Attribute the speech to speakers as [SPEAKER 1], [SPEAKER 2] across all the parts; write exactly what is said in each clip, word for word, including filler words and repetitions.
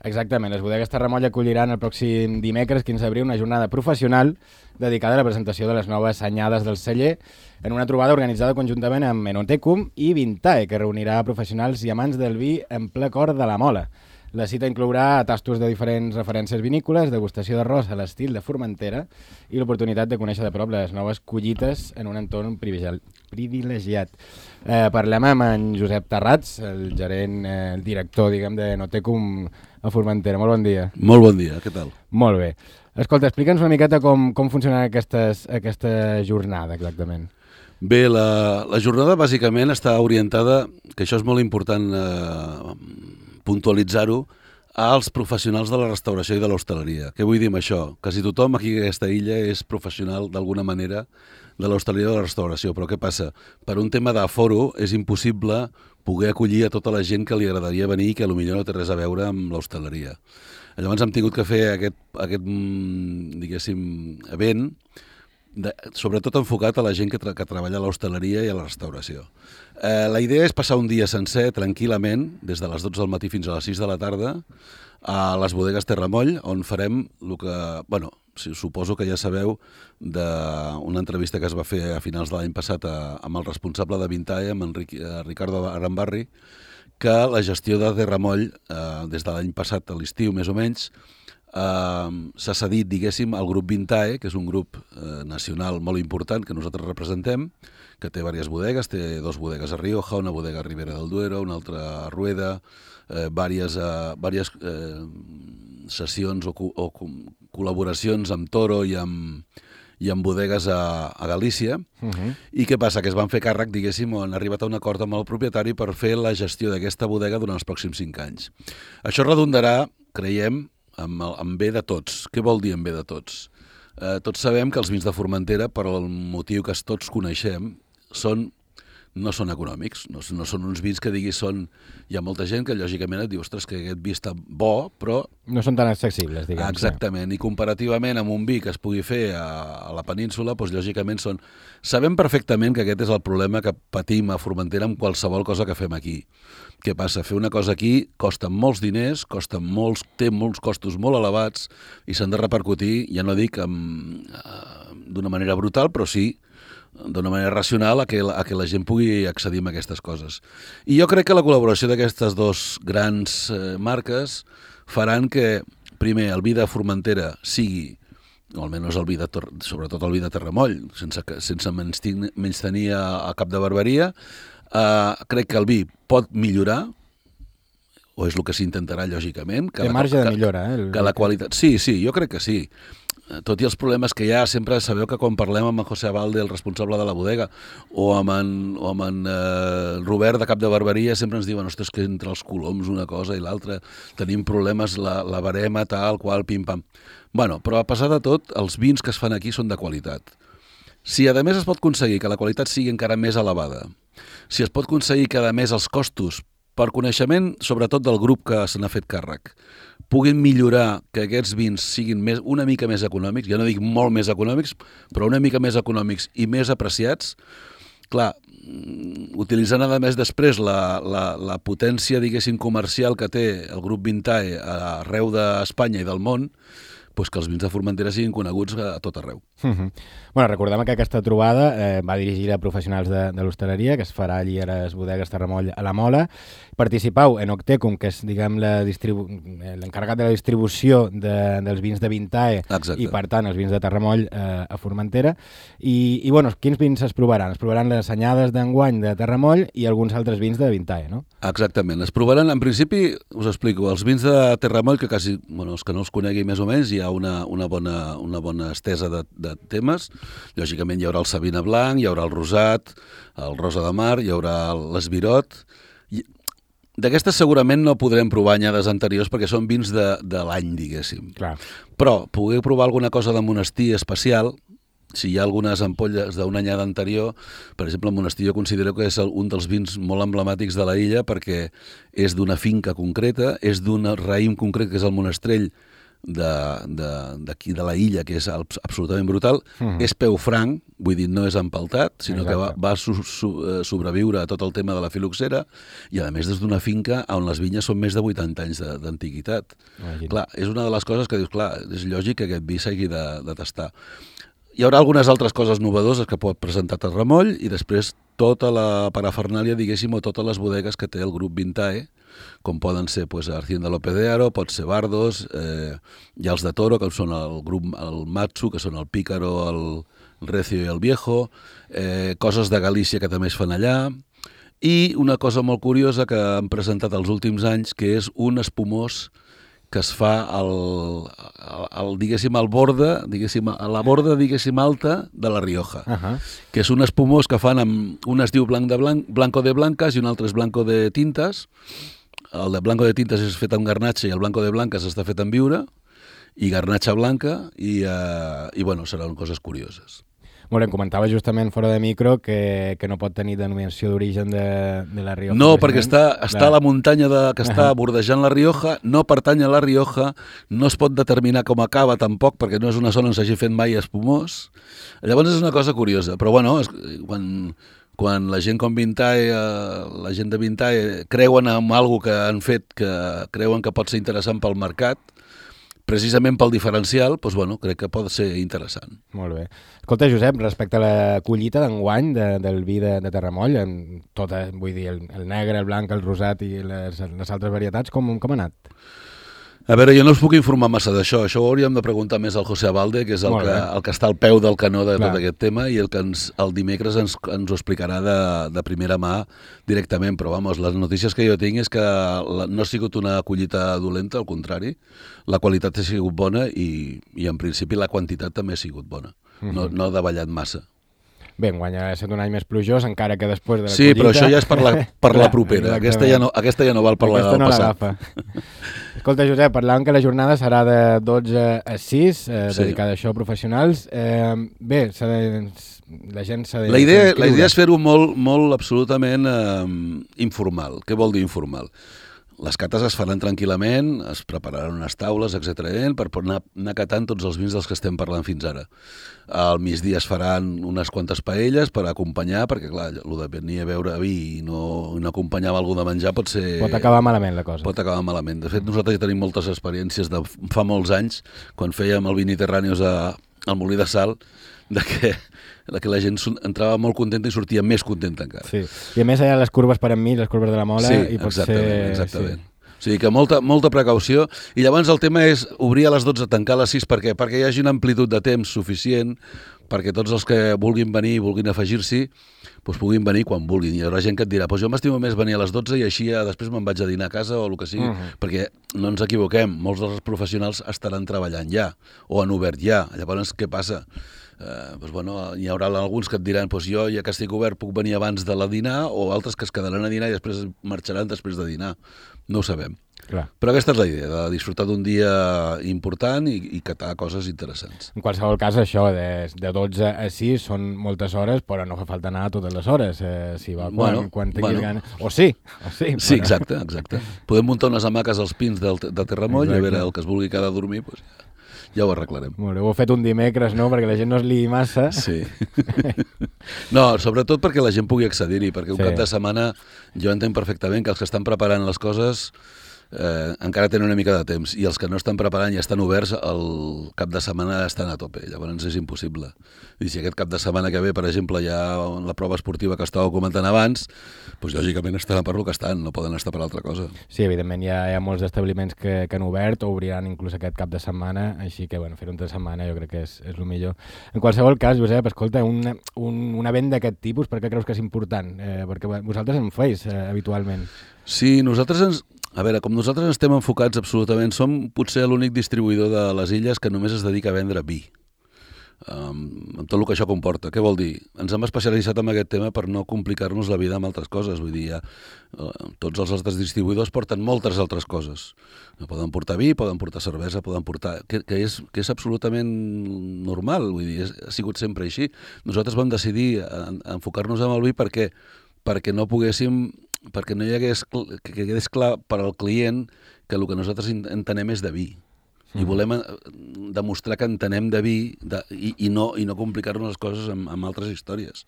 [SPEAKER 1] Exactament, les bodegues Terramoll acolliran el pròxim dimecres, quinze d'abril, una jornada professional dedicada a la presentació de les noves anyades del celler en una trobada organitzada conjuntament amb Enotecum i Vintae, que reunirà professionals i amants del vi en ple cor de la Mola. La cita inclourà tastos de diferents referències vinícoles, degustació d'arròs a l'estil de Formentera i l'oportunitat de conèixer de prop les noves collites en un entorn privilegiat. Eh, parlem amb en Josep Tarrats, el gerent, eh, el director, diguem, de Enotecum a Formentera. Molt bon dia.
[SPEAKER 2] Molt bon dia, què tal?
[SPEAKER 1] Molt bé. Escolta, explica'ns una miqueta com, com funciona aquestes, aquesta jornada exactament.
[SPEAKER 2] Bé, la, la jornada bàsicament està orientada, que això és molt important eh, puntualitzar-ho, als professionals de la restauració i de l'hostaleria. Què vull dir amb això? Quasi tothom aquí a aquesta illa és professional d'alguna manera de l'hostaleria i de la restauració, però què passa? Per un tema d'aforo és impossible poder acollir a tota la gent que li agradaria venir i que potser no té res a veure amb l'hostaleria. Llavors hem tingut que fer aquest, aquest diguéssim, event, de, sobretot enfocat a la gent que, tra que treballa a l'hostaleria i a la restauració. Eh, la idea és passar un dia sencer, tranquil·lament, des de les dotze del matí fins a les sis de la tarda, a les bodegues Terramoll, on farem el que, bueno, suposo que ja sabeu d'una entrevista que es va fer a finals de l'any passat a, amb el responsable de Vintae, amb en Ricardo Arambarri, que la gestió de Terramoll, eh, des de l'any passat a l'estiu més o menys, Uh, s'ha cedit, diguéssim, al grup Vintae, que és un grup uh, nacional molt important que nosaltres representem, que té diverses bodegues, té dos bodegues a Rioja, una bodega a Ribera del Duero, una altra a Rueda, eh, diverses, uh, diverses eh, sessions o, o col·laboracions amb Toro i amb, i amb bodegues a, a Galícia. Uh-huh. I què passa? Que es van fer càrrec, diguéssim, on han arribat a un acord amb el propietari per fer la gestió d'aquesta bodega durant els pròxims cinc anys. Això redundarà, creiem, amb, amb bé de tots. Què vol dir amb bé de tots? Eh, tots sabem que els vins de Formentera, per el motiu que tots coneixem, són, no són econòmics, no, no són uns vins que diguis són... Hi ha molta gent que lògicament et diu, ostres, que aquest vi està bo, però...
[SPEAKER 1] No són tan accessibles, diguem.
[SPEAKER 2] Exactament, i comparativament amb un vi que es pugui fer a, a la península, doncs lògicament són... Sabem perfectament que aquest és el problema que patim a Formentera amb qualsevol cosa que fem aquí. Què passa? Fer una cosa aquí costa molts diners, costa molts, té molts costos molt elevats i s'han de repercutir, ja no dic d'una manera brutal, però sí d'una manera racional a que, a que la gent pugui accedir a aquestes coses. I jo crec que la col·laboració d'aquestes dos grans eh, marques faran que, primer, el vi de Formentera sigui, o almenys el vi de, sobretot el vi de Terramoll, sense, sense menys tenir a, a cap de barbaria, Uh, crec que el vi pot millorar, o és el que s'intentarà, lògicament. Que
[SPEAKER 1] Té
[SPEAKER 2] la,
[SPEAKER 1] marge
[SPEAKER 2] que,
[SPEAKER 1] de millora, eh? El...
[SPEAKER 2] Que la qualitat... Sí, sí, jo crec que sí. Tot i els problemes que hi ha, sempre sabeu que quan parlem amb en José Abalde, el responsable de la bodega, o amb en, o amb en uh, Robert de Cap de Barberia, sempre ens diuen, ostres, que entre els coloms una cosa i l'altra tenim problemes, la, la barema, tal, qual, pim-pam. Bueno, però a pesar de tot, els vins que es fan aquí són de qualitat. Si a més es pot aconseguir que la qualitat sigui encara més elevada, si es pot aconseguir que a més els costos, per coneixement sobretot del grup que se n'ha fet càrrec, puguin millorar que aquests vins siguin més, una mica més econòmics, ja no dic molt més econòmics, però una mica més econòmics i més apreciats, clar, utilitzant a més després la, la, la potència, diguéssim, comercial que té el grup Vintae arreu d'Espanya i del món, pues que els vins de Formentera siguin coneguts a tot arreu.
[SPEAKER 1] Uh-huh. Bueno, recordem que aquesta trobada eh, va dirigida a professionals de, de l'hostaleria, que es farà allí a les bodegues Terramoll a la Mola. Participau en Enotecum, que és, diguem, l'encarregat de la distribució de, dels vins de Vintae. Exacte. I, per tant, els vins de Terramoll eh, a Formentera. I, i bueno, quins vins es provaran? Es provaran les anyades d'enguany de Terramoll i alguns altres vins de Vintae, no?
[SPEAKER 2] Exactament. Es provaran, en principi, us explico, els vins de Terramoll, que quasi, bueno, els que no els conegui més o menys, hi ha una, una, bona, una bona estesa de, de temes. Lògicament hi haurà el Sabina Blanc, hi haurà el Rosat, el Rosa de Mar, hi haurà l'Esbirot. D'aquestes segurament no podrem provar anyades anteriors perquè són vins de, de l'any, diguéssim.
[SPEAKER 1] Clar.
[SPEAKER 2] Però poder provar alguna cosa de monestir especial, si hi ha algunes ampolles d'una anyada anterior, per exemple, el monestir jo considero que és un dels vins molt emblemàtics de la illa perquè és d'una finca concreta, és d'un raïm concret que és el monestrell d'aquí de, de, de la illa, que és absolutament brutal, mm. és peu franc, vull dir, no és empaltat, sinó Exacte. que va, va su, su, sobreviure a tot el tema de la filoxera, i a més des d'una finca on les vinyes són més de vuitanta anys d'antiguitat. Clar, és una de les coses que dius, clar, és lògic que aquest vi s'hagi de, de tastar. Hi haurà algunes altres coses novedoses que pot presentar Terramoll i després tota la parafernàlia, diguéssim, o totes les bodegues que té el grup Vintae, com poden ser pues, Hacienda López de Haro, pot ser Bardos, eh, hi ha els de Toro, que són el grup el Matsu, que són el Pícaro, el Recio i el Viejo, eh, coses de Galícia que també es fan allà, i una cosa molt curiosa que han presentat els últims anys, que és un espumós que es fa al, al, al, diguéssim, al borda, diguéssim, a la borda, diguéssim, alta de la Rioja, uh -huh. que és un espumós que fan amb... Un es diu blanc de blanc, blanco de blancas i un altre és blanco de tintes. El de blanco de tintes és fet amb garnatxa i el blanco de blancas està fet amb viura i garnatxa blanca i, uh, i bueno, seran coses curioses.
[SPEAKER 1] Molt bé, em comentava justament fora de micro que, que no pot tenir denominació d'origen de, de la Rioja.
[SPEAKER 2] No, perquè està, està a la muntanya de, que està bordejant la Rioja, no pertany a la Rioja, no es pot determinar com acaba tampoc, perquè no és una zona on s'hagi fet mai espumós. Llavors és una cosa curiosa, però bueno, és, quan, quan la gent com Vintae, eh, la gent de Vintae creuen en alguna que han fet que creuen que pot ser interessant pel mercat, precisament pel diferencial, doncs, bueno, crec que pot ser interessant.
[SPEAKER 1] Molt bé. Escolta, Josep, respecte a la collita d'enguany de, del vi de, de Terramoll, en tota, vull dir, el, el negre, el blanc, el rosat i les, les altres varietats, com, com ha anat?
[SPEAKER 2] A veure, jo no us puc informar massa d'això. Això ho hauríem de preguntar més al José Abalde, que és el, que, el que està al peu del canó de Clar. tot aquest tema, i el que ens, el dimecres ens, ens ho explicarà de, de primera mà directament. Però, vamos, les notícies que jo tinc és que la, no ha sigut una collita dolenta, al contrari. La qualitat ha sigut bona i, i en principi, la quantitat també ha sigut bona. Uh-huh. No, no ha davallat massa.
[SPEAKER 1] Bé, enguany ha estat un any més plujós, encara que després de la
[SPEAKER 2] sí,
[SPEAKER 1] collita...
[SPEAKER 2] Sí, però això ja és per la, per la propera. Aquesta ja, no, aquesta ja no val per
[SPEAKER 1] aquesta
[SPEAKER 2] la del
[SPEAKER 1] no
[SPEAKER 2] passat.
[SPEAKER 1] Escolta, Josep, parlàvem que la jornada serà de dotze a sis, eh, sí. dedicada a això, professionals. Eh, bé, de, la gent s'ha de...
[SPEAKER 2] La idea, la idea és fer-ho molt, molt absolutament eh, informal. Què vol dir informal? Les cates es faran tranquil·lament, es prepararan unes taules, etcètera per anar, anar catant tots els vins dels que estem parlant fins ara. Al migdia es faran unes quantes paelles per acompanyar, perquè clar, el de venir a beure vi i no, no acompanyar amb algú de menjar pot ser...
[SPEAKER 1] Pot acabar malament la cosa.
[SPEAKER 2] Pot acabar malament. De fet, nosaltres ja tenim moltes experiències de fa molts anys, quan fèiem el Viniterrànios al Molí de Sal, de que, de que la gent entrava molt contenta i sortia més contenta encara.
[SPEAKER 1] Sí. I a més hi ha les curves per enmig, les curves de la Mola,
[SPEAKER 2] sí,
[SPEAKER 1] i pot
[SPEAKER 2] exactament,
[SPEAKER 1] ser...
[SPEAKER 2] exactament. Sí. O sigui que molta, molta precaució, i llavors el tema és obrir a les dotze, tancar a les sis, per què? Perquè hi hagi una amplitud de temps suficient perquè tots els que vulguin venir i vulguin afegir-s'hi doncs puguin venir quan vulguin. Hi haurà gent que et dirà doncs jo m'estimo més venir a les dotze i així ja després me'n vaig a dinar a casa o el que sigui, uh -huh. perquè no ens equivoquem, molts dels professionals estaran treballant ja o han obert ja. Llavors, què passa? Eh, doncs, bueno, hi haurà alguns que et diran doncs jo ja que estic obert puc venir abans de la dinar, o altres que es quedaran a dinar i després marxaran després de dinar. No ho sabem.
[SPEAKER 1] Clar.
[SPEAKER 2] Però aquesta és la idea, de disfrutar d'un dia important i, i catar coses interessants.
[SPEAKER 1] En qualsevol cas, això, de, de dotze a sis són moltes hores, però no fa falta anar a totes les hores, eh, si va, quan,
[SPEAKER 2] bueno,
[SPEAKER 1] quan tinguis
[SPEAKER 2] bueno.
[SPEAKER 1] gana. O sí, o sí.
[SPEAKER 2] Sí, però... exacte, exacte. Podem muntar unes hamaques als pins del, de Terramoll, exacte. I a veure, el que es vulgui quedar a dormir, doncs ja, ja ho arreglarem.
[SPEAKER 1] Molt bé, ho heu fet un dimecres, no?, perquè la gent no es liï massa.
[SPEAKER 2] Sí. No, sobretot perquè la gent pugui accedir-hi, perquè un sí. cap de setmana jo entenc perfectament que els que estan preparant les coses eh, encara tenen una mica de temps, i els que no estan preparant i estan oberts, el cap de setmana estan a tope, llavors és impossible. I si aquest cap de setmana que ve, per exemple, hi ha la prova esportiva que estàveu comentant abans, doncs lògicament estaran per lo que estan, no poden estar per altra cosa.
[SPEAKER 1] Sí, evidentment hi ha, hi ha molts establiments que, que han obert o obriran inclús aquest cap de setmana, així que bueno, fer un de setmana jo crec que és, és el millor. En qualsevol cas, Josep, escolta, un, un, un event d'aquest tipus, per què creus que és important? Eh, perquè vosaltres en feis eh, habitualment.
[SPEAKER 2] Sí, nosaltres ens... A veure, com nosaltres estem enfocats absolutament, som potser l'únic distribuïdor de les illes que només es dedica a vendre vi. Um, amb tot el que això comporta. Què vol dir? Ens hem especialitzat en aquest tema per no complicar-nos la vida amb altres coses. Vull dir, ja, uh, tots els altres distribuïdors porten moltes altres coses. Poden portar vi, poden portar cervesa, poden portar... Que, que, és, que és absolutament normal, vull dir, és, ha sigut sempre així. Nosaltres vam decidir enfocar-nos en el vi perquè, perquè no poguéssim... perquè no hi hagués, que quedés clar per al client que el que nosaltres entenem és de vi. I volem eh, demostrar que entenem de vi de, i, i no, i no complicar-nos les coses amb, amb altres històries.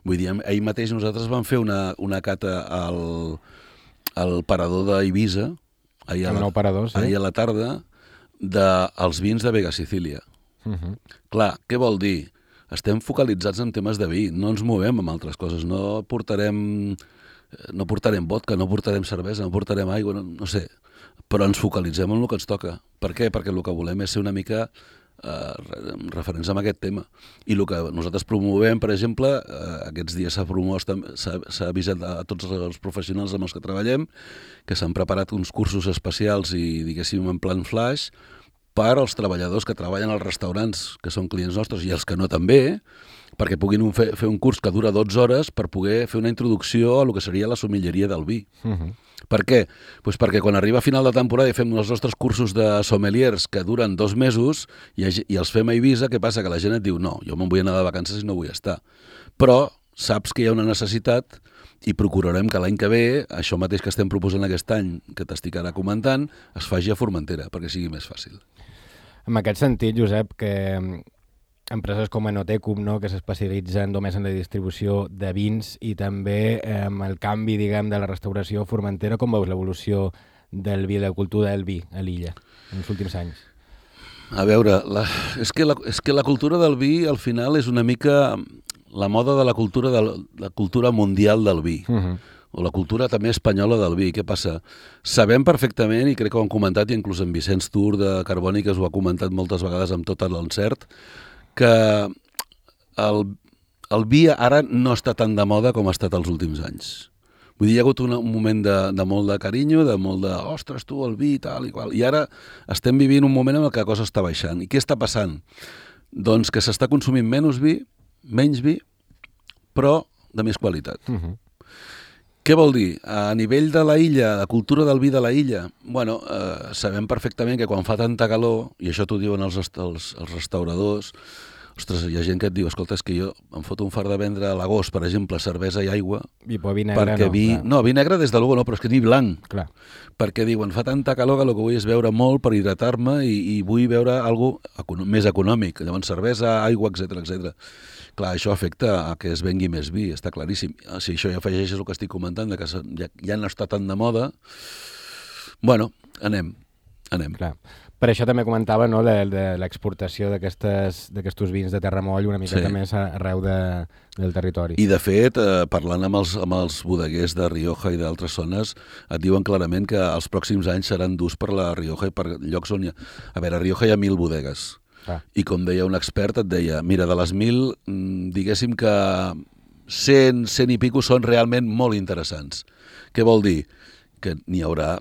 [SPEAKER 2] Vull dir, ahir mateix nosaltres vam fer una, una cata al, al parador d'Eivissa, ahir, a la,
[SPEAKER 1] parador, sí.
[SPEAKER 2] ahir a la tarda, dels vins de Vega Sicília. Uh -huh. Clar, què vol dir? Estem focalitzats en temes de vi, no ens movem amb altres coses, no portarem, no portarem vodka, no portarem cervesa, no portarem aigua, no, no sé, però ens focalitzem en el que ens toca. Per què? Perquè el que volem és ser una mica eh, referents amb aquest tema. I el que nosaltres promovem, per exemple, eh, aquests dies s'ha promós, s'ha avisat a tots els professionals amb els que treballem que s'han preparat uns cursos especials i, diguéssim, en plan flash per als treballadors que treballen als restaurants, que són clients nostres, i els que no també, perquè puguin fer, fer un curs que dura dotze hores per poder fer una introducció a el que seria la sommelleria del vi. Uh -huh. Per què? Pues perquè quan arriba a final de temporada i fem els nostres cursos de sommeliers que duren dos mesos i, i els fem a Eivissa, què passa? Que la gent et diu no, jo me'n vull anar de vacances i no vull estar. Però saps que hi ha una necessitat i procurarem que l'any que ve, això mateix que estem proposant aquest any, que t'estic ara comentant, es faci a Formentera, perquè sigui més fàcil.
[SPEAKER 1] En aquest sentit, Josep, que empreses com Enotecum, no, que s'especialitzen només en la distribució de vins i també eh, amb el canvi, diguem, de la restauració a Formentera, com veus l'evolució del vi, de la cultura del vi a l'illa en els últims anys?
[SPEAKER 2] A veure, la, és, que la, és que la cultura del vi al final és una mica la moda de la cultura, de la cultura mundial del vi. Uh -huh. O la cultura també espanyola del vi. Què passa? Sabem perfectament, i crec que ho han comentat, i inclús en Vicenç Tur de Carbòniques ho ha comentat moltes vegades amb tot l'encert, que el, el vi ara no està tan de moda com ha estat els últims anys. Vull dir, hi ha hagut un, un moment de, de molt de carinyo, de molt de, ostres, tu, el vi, tal i qual. I ara estem vivint un moment en què la cosa està baixant. I què està passant? Doncs que s'està consumint menys vi, menys vi, però de més qualitat. Uh-huh. Què vol dir? A nivell de la illa, la cultura del vi de la illa, bueno, eh, sabem perfectament que quan fa tanta calor, i això t'ho diuen els, els, els restauradors, ostres, hi ha gent que et diu, escolta, és que jo em foto un far de vendre a l'agost, per exemple, cervesa i aigua,
[SPEAKER 1] I vi negre
[SPEAKER 2] perquè
[SPEAKER 1] no,
[SPEAKER 2] vi...
[SPEAKER 1] clar.
[SPEAKER 2] No, vi negre des de luego no, però és que ni blanc.
[SPEAKER 1] Clar.
[SPEAKER 2] Perquè diuen, fa tanta calor que el que vull és beure molt per hidratar-me i, i vull beure alguna cosa més econòmic, llavors cervesa, aigua, etcètera, etcètera. Clar, això afecta a que es vengui més vi, està claríssim. Si això ja afegeixes el que estic comentant, de que ja, ja no està tan de moda, bueno, anem, anem.
[SPEAKER 1] Clar. Per això també comentava, no, de, de l'exportació d'aquests vins de Terramoll una miqueta
[SPEAKER 2] Sí.
[SPEAKER 1] més arreu de, del territori.
[SPEAKER 2] I de fet, eh, parlant amb els, amb els bodeguers de Rioja i d'altres zones, et diuen clarament que els pròxims anys seran durs per la Rioja i per llocs on hi ha... A veure, a Rioja hi ha mil bodegues. Ah. I com deia un expert, et deia, mira, de les mil, diguéssim que cent, cent i pico són realment molt interessants. Què vol dir? Que n'hi haurà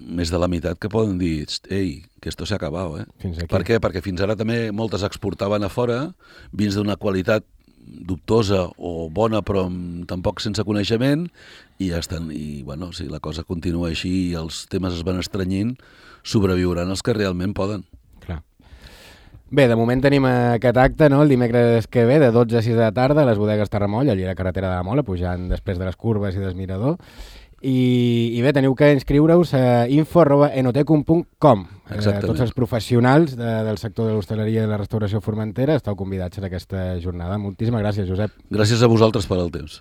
[SPEAKER 2] més de la meitat que poden dir, ei, que esto se ha acabado, eh?
[SPEAKER 1] Fins aquí.
[SPEAKER 2] Per què? Perquè fins ara també moltes exportaven a fora, vins d'una qualitat dubtosa o bona però tampoc sense coneixement, i ja estan, i bueno, si la cosa continua així i els temes es van estrenyint, sobreviuran els que realment poden.
[SPEAKER 1] Clar. Bé, de moment tenim aquest acte, no?, el dimecres que ve, de dotze a sis de la tarda, a les bodegues Terramoll, allà a la carretera de la Mola, pujant després de les curves i del mirador. I, i bé, teniu que inscriure-us a info arroba enotecum punt com. Eh, tots els professionals de, del sector de l'hostaleria i de la restauració formentera esteu convidats en aquesta jornada. Moltíssimes gràcies, Josep.
[SPEAKER 2] Gràcies a vosaltres per al temps.